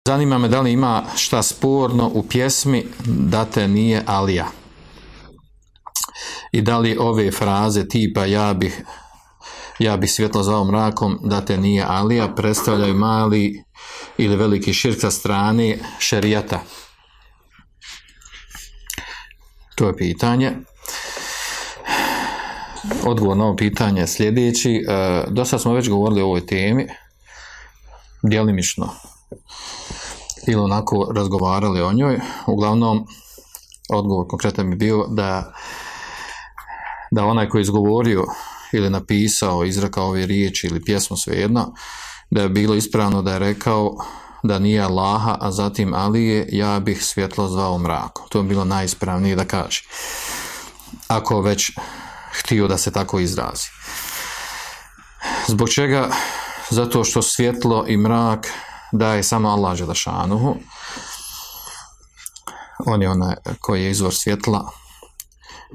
Zanima me da li ima šta sporno u pjesmi da te nije Alija. I da li ove fraze tipa ja bih svjetlo zvao mrakom da te nije Alija predstavljaju mali ili veliki širk sa strane šerijata. To je pitanje. Odgovor na ovo pitanje je sljedeći. Dosta smo već govorili o ovoj temi, djelimično ili onako razgovarali o njoj. Uglavnom, odgovor konkretan bi bio da onaj koji je izgovorio ili napisao, izrekao ove riječi ili pjesmu, svejedno, da je bilo ispravno da je rekao da nije Allaha, a zatim Alije, ja bih svjetlo zvao mrakom. To je bilo najispravnije da kaže. Ako već htio da se tako izrazi. Zbog čega? Zato što svjetlo i mrak daje samo Allah dželešanuhu. On je onaj koji je izvor svjetla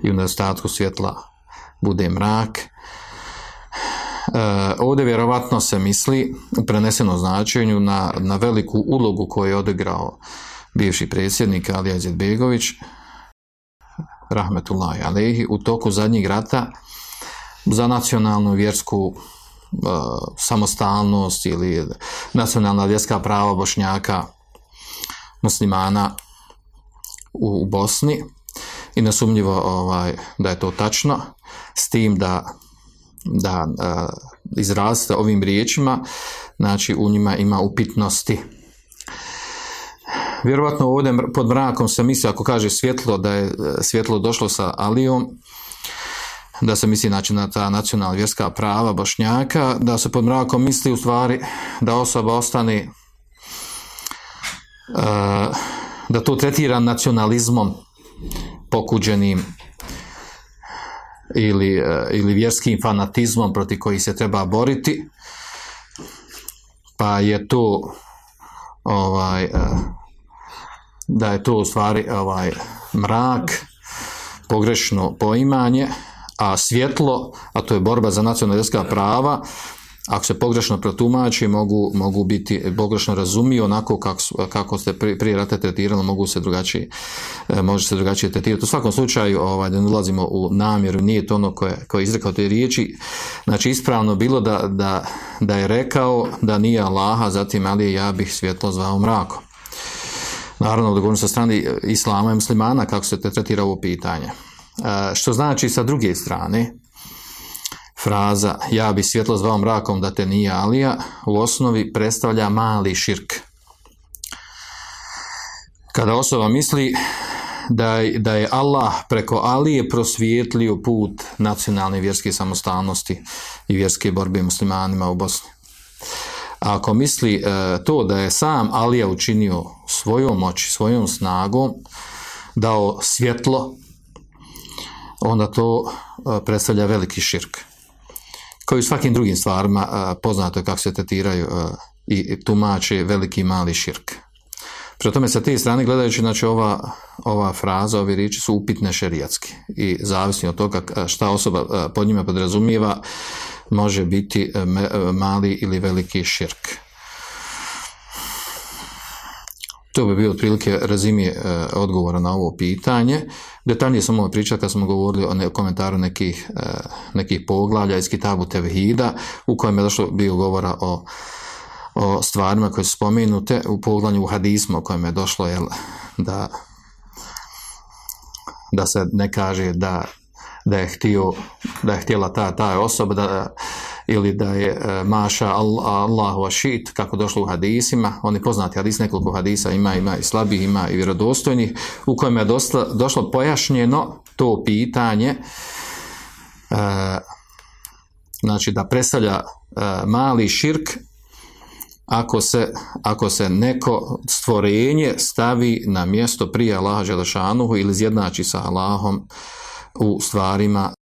i u nedostatku svjetla bude mrak. Ovdje vjerovatno se misli u prenesenom značenju na veliku ulogu koju je odigrao bivši predsjednik Alija Izetbegović rahmetullahi alejhi u toku zadnjeg rata za nacionalnu vjersku samostalnost ili nacionalna vjerska prava Bošnjaka muslimana u Bosni i nesumnjivo da je to tačno, s tim da izrazite ovim riječima, znači u njima ima upitnosti. Vjerovatno ovdje pod mrakom se misli, ako kaže svjetlo, da je svjetlo došlo sa Alijom, da se misli znači na ta nacionalna vjerska prava Bošnjaka, da se pod mrakom misli u stvari da osoba ostane, da to tretira nacionalizmom pokuđenim ili vjerskim fanatizmom protiv kojih se treba boriti, pa je to da je to u stvari mrak, pogrešno poimanje, a svjetlo, a to je borba za nacionalna vjerska prava, ako se pogrešno protumači, mogu biti pogrešno razumiju onako kako ste prije rata tretirali, može se drugačije tretirati. U svakom slučaju, da ne ulazimo u namjeru, nije to ono koje je izrekao te riječi. Znači, ispravno bilo da je rekao da nije Allaha, zatim Alije, ja bih svjetlo zvao mrakom. Naravno, da govorim sa strane islama i muslimana kako se tretira ovo pitanje. Što znači sa druge strane, fraza ja bi svjetlo zvao mrakom da te nije Alija u osnovi predstavlja mali širk. Kada osoba misli da je Allah preko Alije prosvijetlio put nacionalne vjerske samostalnosti i vjerske borbe muslimanima u Bosni. A ako misli to da je sam Alija učinio svojom moći, svojom snagom, dao svjetlo, onda to predstavlja veliki širk. Kao i u svakim drugim stvarima poznato je kako se tretiraju i tumače veliki i mali širk. Prema tome, sa te strane gledajući, znači ova fraza, ove riječi su upitne šerijatski i zavisno od toga šta osoba pod njima podrazumijeva, može biti mali ili veliki širk. To bi bio otprilike rezime odgovora na ovo pitanje. Detaljnije sam ovo pričao kad smo govorili o komentaru nekih poglavlja iz Kitabu Tevhida, u kojem je bio govora o stvarima koje su spomenute u poglavlju u hadismu, u kojem je došlo da se ne kaže da je htjela ta osoba ili da je maša Allahu ašit, kako došlo u hadisima. Oni poznati hadis, nekoliko hadisa ima i slabih, ima i vjerodostojnih, u kojem je došlo pojašnjeno to pitanje, znači da predstavlja mali širk ako se neko stvorenje stavi na mjesto prije Allaha dželešanuhu ili izjednači sa Allahom u stvarima